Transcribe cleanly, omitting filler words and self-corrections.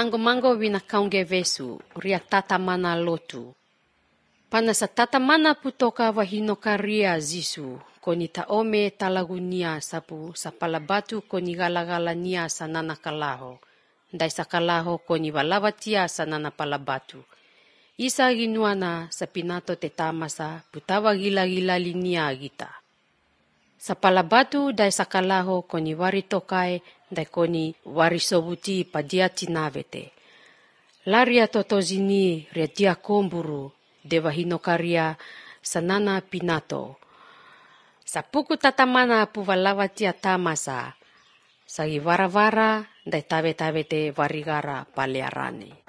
mango wina kaunge vesu, ria tata mana lotu. Pana sa tata mana putoka wahinoka ria zisu, koni taome talagunia sapu sa palabatu koni gala-gala nia sa nana kalaho. Dai sa kalaho koni walawatia sa nana palabatu. Isa ginuana sa pinato te tamasa putawa gila-gila linia gita. Sa palabatu dai sa kalaho koni waritokai dai koni warisobuti padia tinavete. Laria totozini ria dia komburu dewa hinokaria sa nana pinato. Sa puku tatamana pu walawatia tamasa. Sa vara-vara dai tawe-tawe te warigara palearane.